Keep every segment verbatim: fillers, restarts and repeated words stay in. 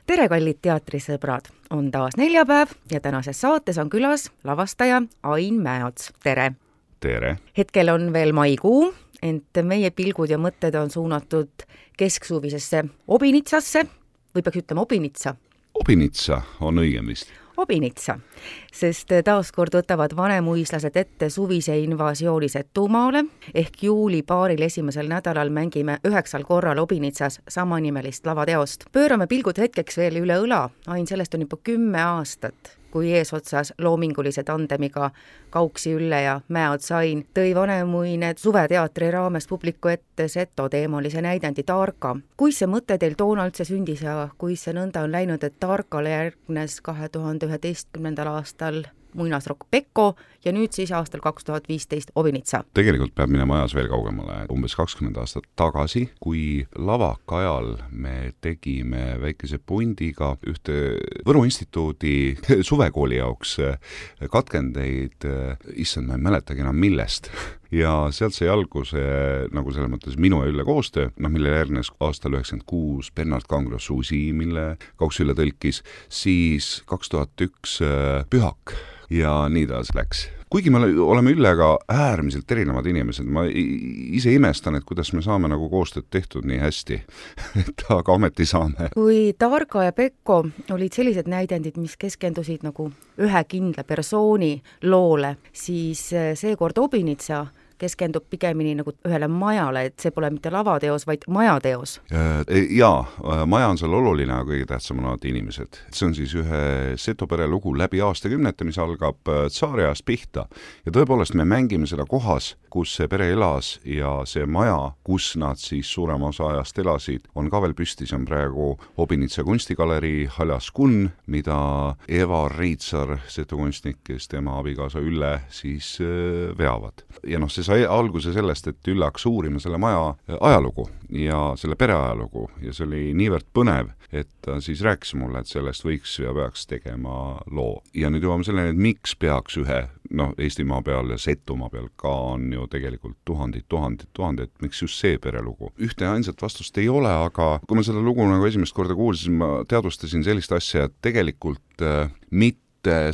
tere, kallid teatrisõbrad! On taas neljapäev ja tänases saates on külas lavastaja Ain Mäeots. Tere! Tere! Hetkel on veel maikuu, ent meie pilgud ja mõtted on suunatud kesksuvisesse Obinitsasse, või peaks ütlema Obinitsa? Obinitsa on õigem vist. Obinitsa, sest taaskord võtavad vanemuislased ette suvise invasiooni Setumaale, ehk juuli paaril esimesel nädalal mängime üheksal korral Obinitsas samanimelist lavateost. Pöörame pilgud hetkeks veel üle õla, Ain, sellest on juba kümme aastat, kui eesotsas loomingulise tandemiga Kauksi Ülle ja Mäeots Ain tõi Vanemuine suveteatri raames publiku ette Seto teemalise näidendi Tarka. Kuis see mõte teil toona üldse sündis ja kuis see nõnda on läinud, et Tarkale järgnes kahe tuhande üheteistkümnendal aastal muinasrokk Pekko ja nüüd siis aastal kaks tuhat viisteist Obinitsa? Tegelikult peab minema ajas veel kaugemale. Umbes kakskümmend aastat tagasi, kui lavaka ajal me tegime väikese pundiga ühte Võru instituudi suvekooli jaoks katkendeid, issand, ma ei mäletagi enam millest. Ja sealt sai alguse nagu selles mõttes minu ja Ülle koostöö, noh, mille järgnes aastal üheksakümmend kuus Bernard Kangro Susi, mille Kauks Ülle tõlkis, siis kaks tuhat üks Pühak ja nii taas läks. Kuigi me oleme Üllega äärmiselt erinevad inimesed, ma ise imestan, et kuidas me saame nagu koostööd tehtud nii hästi, et aga ometi saame. Kui Tarka ja Pekko olid sellised näidendid, mis keskendusid nagu ühe kindla persooni loole, siis seekord Obinitsa keskendub pigemini nagu ühele majale, et see pole mitte lavateos, vaid majateos. Jaa, maja on seal oluline, aga kõige tähtsam on alati inimesed. See on siis ühe Seto pere lugu läbi aastakümnete, mis algab tsaariajast pihta. Ja tõepoolest me mängime seda kohas, kus see pere elas ja see maja, kus nad siis suurema osa ajast elasid, on ka veel püsti. See on praegu Obinitsa kunstigalerii Haljas Kun, mida Eva Riitsar, Seto kunstnik, kes tema abikaasa Ülle siis veavad. Ja noh, see sai alguse sellest, et Ülle hakkas uurima selle maja ajalugu ja selle pere ajalugu ja see oli niivõrd põnev, et ta siis rääkis mulle, et sellest võiks ja peaks tegema loo. Ja nüüd jõuame selleni, et miks peaks ühe, noh, Eestimaa peal ja Setumaa peal ka on ju tegelikult tuhandid, tuhandid, tuhandid, miks just see perelugu. Ühte ainsat vastust ei ole, aga kui ma seda lugu nagu esimest korda kuulsin, ma teadvustasin sellist asja, et tegelikult äh, mitte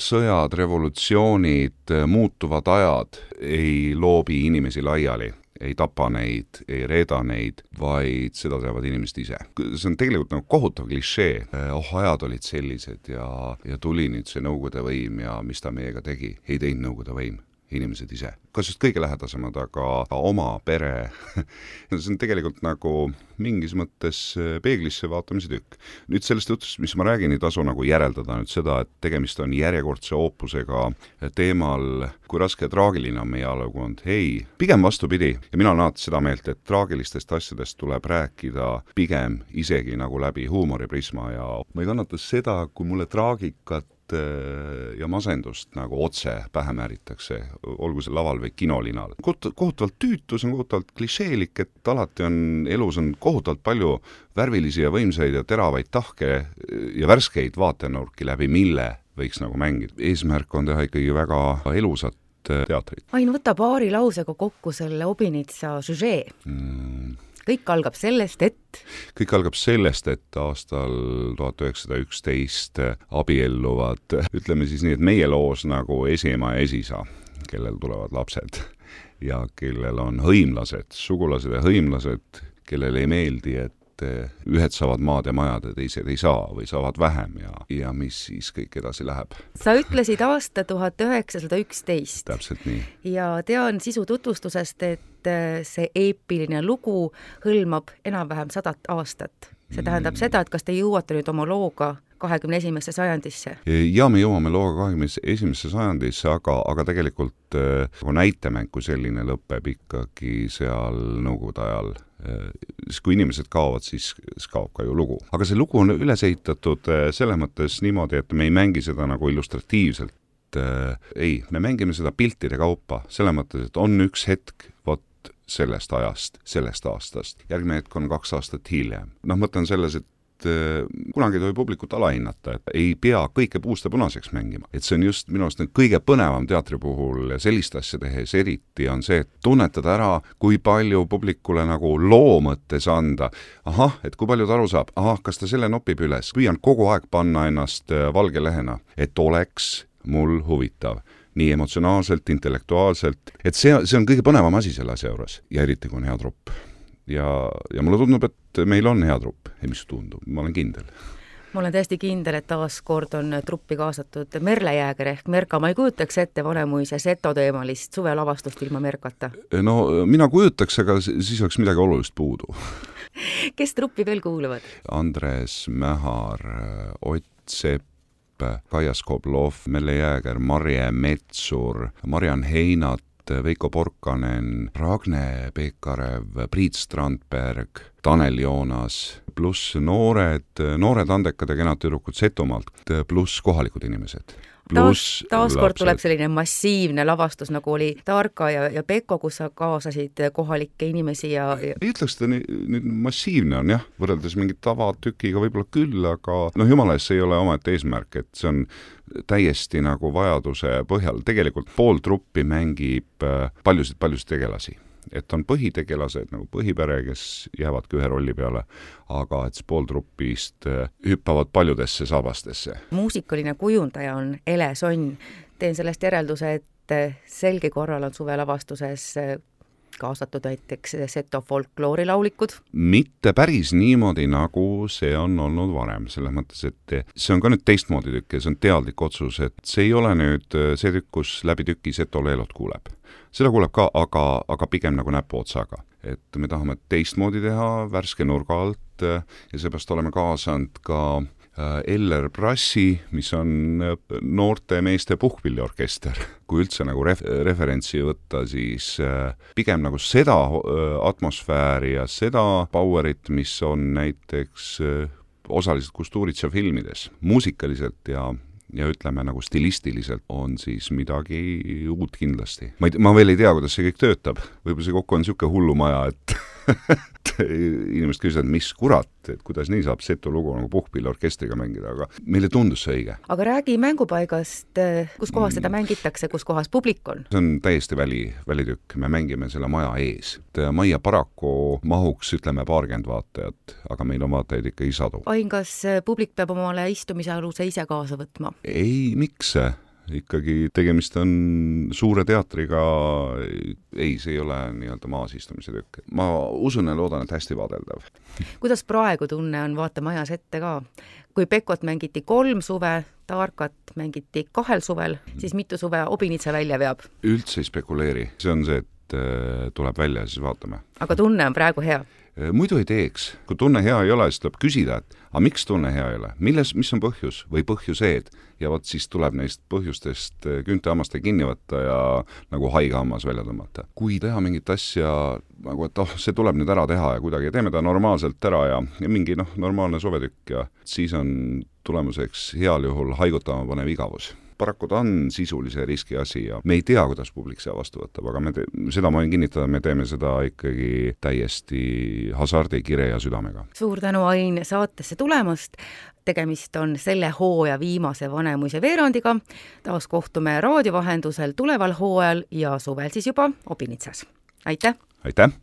sõjad, revolutsioonid, muutuvad ajad ei loobi inimesi laiali, ei tapa neid, ei reeda neid, vaid seda teevad inimesed ise. See on tegelikult nagu kohutav klišee. Oh, ajad olid sellised ja, ja tuli nüüd see Nõukogude võim ja mis ta meiega tegi. Ei teinud Nõukogude võim, inimesed ise. Kas just kõige lähedasemad, aga oma pere. See on tegelikult nagu mingis mõttes peeglisse vaatamise tükk. Nüüd sellest jutust, mis ma räägin, ei tasu nagu järeldada nüüd seda, et tegemist on järjekordse oopusega teemal, kui raske ja traagiline on meie ajalugu olnud. Ei, pigem vastupidi. Ja mina olen alati seda meelt, et traagilistest asjadest tuleb rääkida pigem isegi nagu läbi huumoriprisma ja ma ei kannata seda, kui mulle traagikat ja masendust nagu otse pähe määritakse, olgu see laval või kinolinal. Kohutavalt tüütus on kohutavalt klišeelik, et alati on elus on kohutavalt palju värvilisi ja võimsaid ja teravaid tahke ja värskeid vaatenurki, läbi mille võiks nagu mängida. Eesmärk on teha ikkagi väga elusat teatrit. Ain, võta paari lausega kokku selle Obinitsa süžee. Mm. Kõik algab sellest, et... Kõik algab sellest, et aastal tuhat üheksasada üksteist abielluvad, ütleme siis nii, et meie loos nagu esiema ja esisa, kellel tulevad lapsed ja kellel on hõimlased, sugulased ja hõimlased, kellel ei meeldi, et ühed saavad maad ja majad ja teised ei saa või saavad vähem ja, ja mis siis kõik edasi läheb. Sa ütlesid aasta tuhat üheksasada üksteist. Täpselt nii. Ja tean sisu tutvustusest, et see eepiline lugu hõlmab enam-vähem sadat aastat. See tähendab mm. seda, et kas te jõuate nüüd oma looga kahekümne esimesse sajandisse? Ja me jõuame looga kahekümne esimesse sajandisse, aga, aga tegelikult äh, näitemäng kui selline lõpeb ikkagi seal Nõukogude ajal. Kui inimesed kaovad, siis kaob ka ju lugu. Aga see lugu on üles ehitatud selles mõttes niimoodi, et me ei mängi seda nagu illustratiivselt. Ei, me mängime seda piltide kaupa selles mõttes, et on üks hetk vot sellest ajast, sellest aastast. Järgmine hetk on kaks aastat hiljem. Noh, mõte on selles, et kunagi ei tohi publikut alahinnata, et ei pea kõike puust ja punaseks mängima. Et see on just minu arust kõige põnevam teatri puhul ja sellist asja tehes eriti on see, et tunnetada ära, kui palju publikule nagu loo mõttes anda. Ahah, et kui palju ta aru saab, ahah, kas ta selle nopib üles. Püüan kogu aeg panna ennast valge lehena, et oleks mul huvitav. Nii emotsionaalselt, intellektuaalselt, et see, see on kõige põnevam asi selle asja juures ja eriti kui on hea trupp. Ja, ja mulle tundub, et meil on hea trupp. Ei, mis tundub, ma olen kindel. Ma olen täiesti kindel, et taas kord on truppi kaasatud Merle Jääger ehk Merka. Ma ei kujutaks ette Vanemuise seto teemalist suvelavastust ilma Merkata. No mina kujutaks, aga siis oleks midagi olulist puudu. Kes truppi veel kuuluvad? Andres Mähar, Ott Sepp, Kaia Skoblov, Merle Jääger, Marje Metsur, Marian Heinat, Veiko Porkanen, Ragne Pekarev, Priit Strandberg, Tanel Joonas, pluss noored, noored andekad ja kenad tüdrukud Setomaalt, pluss kohalikud inimesed. Taas, taas kord tuleb selline massiivne lavastus, nagu oli Tarka ja, ja Pekko, kus sa kaasasid kohalikke inimesi ja... ja... ei ütleks, et nüüd massiivne on jah, võrreldes mingi tavatükiga võib-olla küll, aga noh, jumala eest see ei ole omaette eesmärk, et see on täiesti nagu vajaduse põhjal. Tegelikult pool truppi mängib paljusid-paljusid tegelasi. Et on põhitegelased nagu põhipere, kes jäävadki ühe rolli peale, aga et pool truppist hüppavad paljudesse saabastesse. Muusikaline kujundaja on Ele Sonn. Teen sellest järelduse, et selge korral on suvelavastuses kaasatud näiteks seto folkloorilaulikud? Mitte päris niimoodi, nagu see on olnud varem. Selles mõttes, et see on ka nüüd teistmoodi tükk ja see on teadlik otsus, et see ei ole nüüd see tükk, kus läbi tüki seto leelot kuuleb. Seda kuuleb ka, aga, aga pigem nagu näpu otsaga. Et me tahame teistmoodi teha värske nurga alt ja seepärast oleme kaasanud ka Eller Brassi, mis on noorte meeste puhkpilliorkester. Kui üldse nagu ref- referentsi võtta, siis pigem nagu seda atmosfääri ja seda powerit, mis on näiteks osaliselt Kusturitsa filmides, muusikaliselt ja ja ütleme nagu stilistiliselt on siis midagi uut kindlasti. Ma, ei, ma veel ei tea, kuidas see kõik töötab. Võib-olla see kokku on niisugune hullumaja, et inimesed küsivad, mis kurat, et kuidas nii saab seto lugu nagu puhkpilliorkestriga mängida, aga meile tundus see õige. Aga räägi mängupaigast, kus kohas seda mängitakse, kus kohas publik on? See on täiesti väli, välitükk, me mängime selle maja ees. Maja paraku mahuks, ütleme, paarkümmend vaatajat, aga meil on vaatajaid ikka ei sadu. Ain, kas publik peab omale istumise aluse ise kaasa võtma? Ei, miks see? Ikkagi tegemist on suure teatriga, ei, see ei ole nii-öelda maasistumise tükk. Ma usun ja loodan, et hästi vaadeldav. Kuidas praegu tunne on vaata majas ette ka? Kui Pekot mängiti kolm suve, Tarkat mängiti kahel suvel, siis mitu suve Obinitsa välja veab? Üldse ei spekuleeri. See on see, et tuleb välja ja siis vaatame. Aga tunne on praegu hea? Muidu ei teeks. Kui tunne hea ei ole, siis tuleb küsida, et aga miks tunne hea ei ole? Milles, mis on põhjus või põhjuseed? Ja võt siis tuleb neist põhjustest küntehammaste kinni võtta ja nagu haige hammas välja tõmmata. Kui teha mingit asja, nagu et oh, see tuleb nüüd ära teha ja kuidagi teeme ta normaalselt ära ja, ja mingi noh, normaalne sovetükk ja siis on tulemuseks heal juhul haigutama panev igavus. Paraku ta on sisulise riski asi ja me ei tea, kuidas publik seda vastu võtab, aga me te-, seda ma võin kinnitada, me teeme seda ikkagi täiesti hasardi, kire ja südamega. Suur tänu, Ain, saatesse tulemast. Tegemist on selle hooaja viimase Vanemuise veerandiga. Taas kohtume raadiovahendusel tuleval hooajal ja suvel siis juba Obinitsas. Aitäh! Aitäh!